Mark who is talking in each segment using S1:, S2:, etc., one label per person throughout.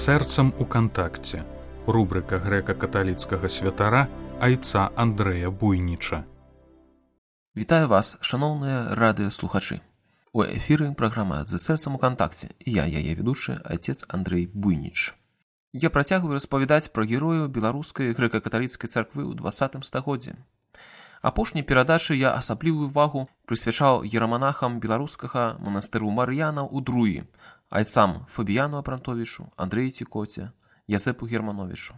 S1: сэрцам у кантакце. Рубрика грэка-каталіцкага святара айца Андрэя Буйніча.
S2: Вітаю вас, шаноўныя радыёслухачы. У эфіры праграма «З сэрцам у кантакце» і я, яе ведучы, айцец Андрэй Буйніч. Я працягваю распавядаць пра герояў беларускай грэка-каталіцкай царквы ў 20 стагоддзі. Апошняй перадачы я асаблівую увагу прысвячаў ераманахам беларускага манастыру Мар'янаў у Друі, айцам Фабіяну Апрантовічу, Андрэю Цікоце, Язэпу Германовічу.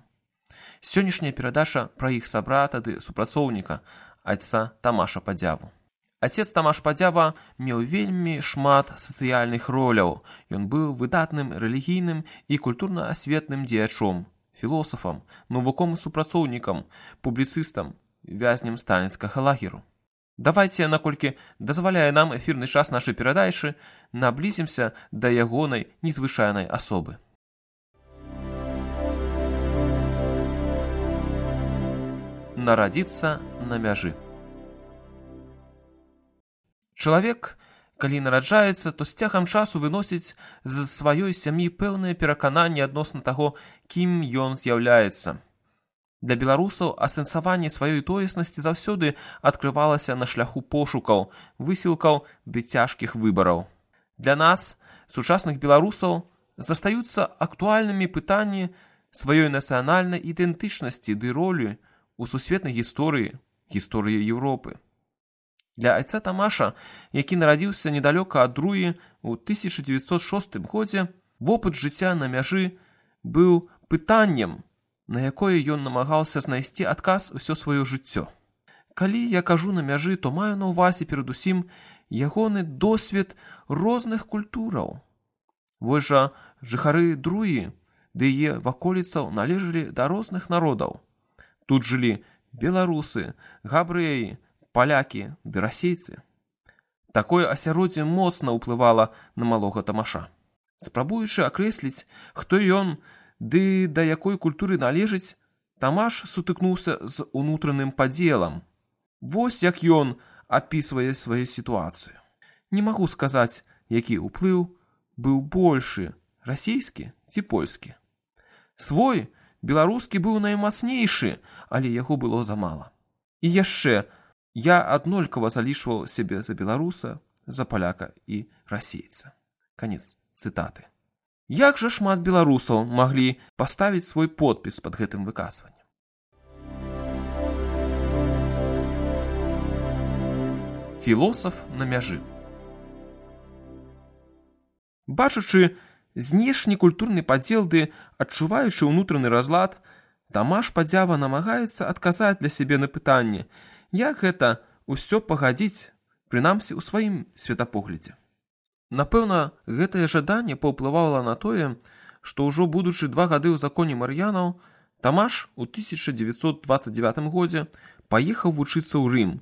S2: Сённяшняя перадача пра іх сабрата ды супрацоўніка, айца Тамаша Падзяву. Айцец Тамаш Падзява меў вельмі шмат сацыяльных роляў. Ён быў выдатным рэлігійным і культурна-асветным дзеячом, філосафам, навуковым супрацоўнікам, публіцыстам, вязнем сталінскага лагеру. Давайце, наколькі дазваляе нам эфірны час нашай перадачы, наблізімся да ягонай незвычайнай асобы. Нарадзіцца на мяжы. Чалавек, калі нараджаецца, то з цягам часу выносіць з сваёй сям'і пэўныя перакананні адносна таго, кім ён з'яўляецца. Для беларусаў асэнсаванне сваёй тоеснасці заўсёды адкрывалася на шляху пошукаў, высілкаў ды цяжкіх выбараў. Для нас, сучасных беларусаў, застаюцца актуальнымі пытанні сваёй нацыянальнай ідэнтычнасці ды ролі у сусветнай гісторыі, гісторыі Еўропы. Для айца Тамаша, які нарадзіўся недалёка ад Друі ў 1906 годзе, вопыт жыцця на мяжы быў пытаннем, на якое ён намагаўся знайсці адказ усё сваё жыццё. Калі я кажу на мяжы, то маю на ўвазе перадусім ягоны досвед розных культураў. Вось жа жыхары Друі ды яе ваколіцаў належалі да розных народаў. Тут жылі беларусы, габрэі, палякі ды расейцы. Такое асяроддзе моцна ўплывала на малога Тамаша. Спрабуючы акрэсліць, хто ён ды да якой культуры належыць, Тамаш сутыкнуўся з унутраным падзелам. Вось як ён апісвае сваю сітуацыю. Не магу сказаць, які ўплыў быў большы, расійскі ці польскі. Свой беларускі быў наймацнейшы, але яго было замала. І яшчэ, я аднолькава залічваў сябе за беларуса, за паляка і расейца. Канец цытаты. Як жа шмат беларусаў маглі паставіць свой подпіс пад гэтым выказваннем? Філосаф на мяжы. Бачачы знешні культурны падзел ды адчуваючы ўнутраны разлад, Тамаш Падзява намагаецца адказаць для сябе на пытанне, як гэта ўсё пагадзіць, прынамсі ў сваім светапоглядзе. Напэўна, гэтае жаданне паўплывала на тое, што ўжо будучы 2 гады ў законе Мар'янаў, Тамаш у 1929 годзе паехаў вучыцца ў Рым,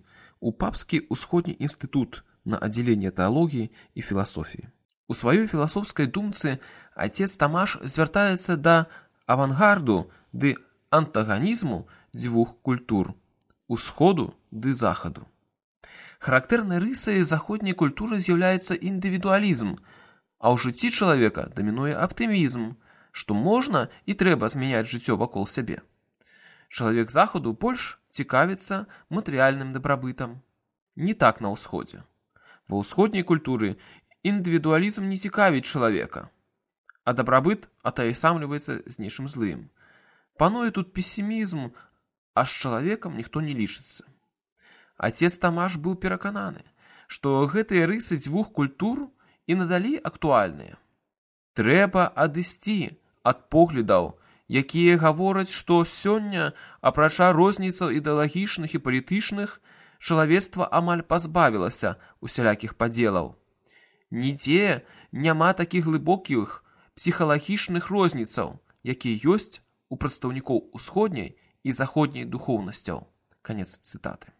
S2: у папскі ўсходні інстытут на аддзяленне тэалогіі і філасофіі. У сваёй філасофскай думцы айцец Тамаш звяртаецца да авангарду ды антаганізму дзвюх культур – усходу ды захаду. Характэрнай рысай заходняй культуры з'яўляецца індывідуалізм, а ў жыцці чалавека дамінуе аптымізм, што можна і трэба змяняць жыццё вакол сябе. Чалавек захаду больш цікавіцца матэрыяльным дабрабытам. Не так на ўсходзе. Ва ўсходняй культуры індывідуалізм не цікавіць чалавека, а дабрабыт атаясамліваецца з нечым злым. Пануе тут песімізм, а з чалавекам ніхто не лічыцца. Айцец Тамаш быў перакананы, што гэтыя рысы дзвюх культур і надалей актуальныя. Трэба адысці ад поглядаў, якія гавораць, што сёння, апрача розніцаў ідэалагічных і палітычных, чалавецтва амаль пазбавілася усялякіх падзелаў. Нідзе няма такіх глыбокіх псіхалагічных розніцаў, якія ёсць у прадстаўнікоў усходняй і заходняй духоўнасцяў. Канец цытаты.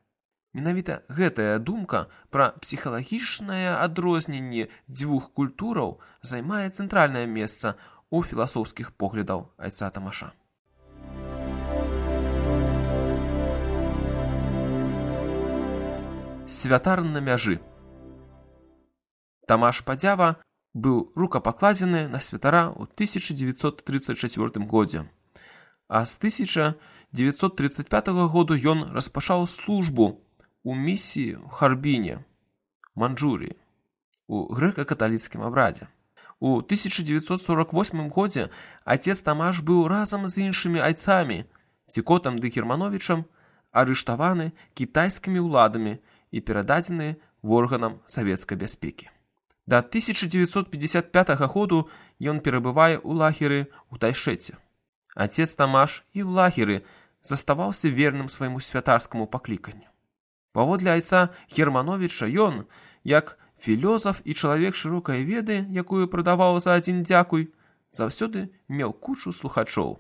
S2: Менавіта гэтая думка пра псіхалагічнае адрозненне дзвюх культураў займае цэнтральнае месца ў філасофскіх поглядаў айца Тамаша. Святар на мяжы. Тамаш Падзява быў рукапакладзены на святара ў 1934 годзе. А з 1935 году ён распачаў службу у місіі ў Харбіне, Манчжурыі, у грэка-каталіцкім абрадзе. У 1948 годзе отец Тамаш быў разам з іншымі айцамі, Цікотам ды Германовічам, арыштаваны кітайскімі ўладамі і перададзены в органам савецкай бяспекі. Да 1955 году ён перабывае ў лагеры ў Тайшэце. Отец Тамаш і ў лагеры заставаўся верным свайму святарскаму пакліканню. Паводле айца Германовіча ён, як філёзаф і чалавек шырокай веды, якую прадаваў за адзін дзякуй, заўсёды меў кучу слухачоў.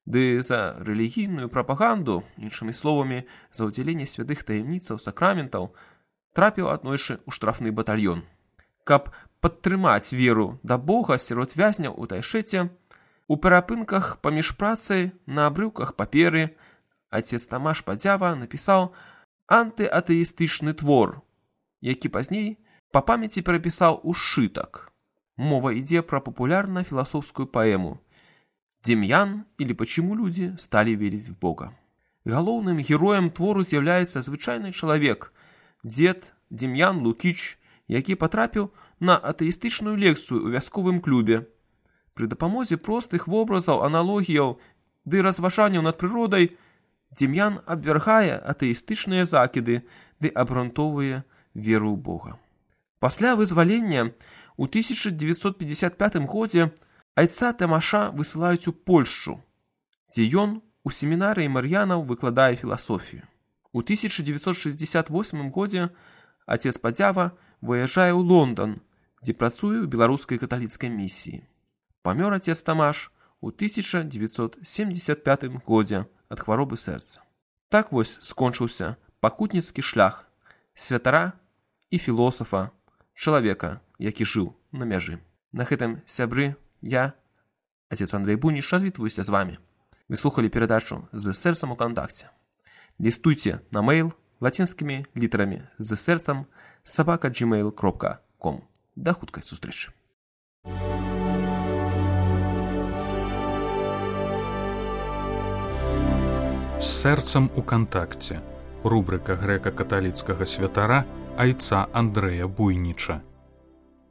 S2: Ды за рэлігійную прапаганду, іншымі словамі, за ўдзяленне святых таямніцаў сакраментаў, трапіў аднойчы ў штрафны батальён. Каб падтрымаць веру да Бога сярод вязняў у Тайшэце, у перапынках паміж працай на абрыўках паперы отец Тамаш Падзява напісаў антыатэістычны твор, які пазней па памяці перапісаў у сшытак. Мова ідзе пра папулярна-філасофскую паэму «Демьян или почему люди стали верить в Бога». Галоўным героем твору з'яўляецца звычайны чалавек, дзед Демьян Лукіч, які патрапіў на атэістычную лекцыю ў вясковым клубе. Пры дапамозе простых вобразаў, аналогіяў ды разважанняў над прыродай Демьян абвяргае атэістычныя закіды ды абгрунтоўвае веру ў Бога. Пасля вызвалення ў 1955 годзе айца Тамаша высылаюць у Польшчу, дзе ён у семінарыі мар'янаў выкладае філасофію. У 1968 годзе отец Падзява выязджае ў Лондан, дзе працуе ў беларускай каталіцкай місіі. Памёр отец Тамаш у 1975 годзе ад хваробы сэрца. Так вось скончыўся пакутніцкі шлях святара і філосафа, чалавека, які жыў на мяжы. На гэтым, сябры, я, отец Андрей Буйніч, развітваюся з вами. Вы слухали перадачу «З сэрцам у кантакце». Лістуйце на мейл лацінскімі літарамі «З сэрцам» @gmail.com. Да хуткай сустрэчы.
S1: З сэрцам у кантакце. Рубрика грэка-каталіцкага святара айца Андрэя Буйніча.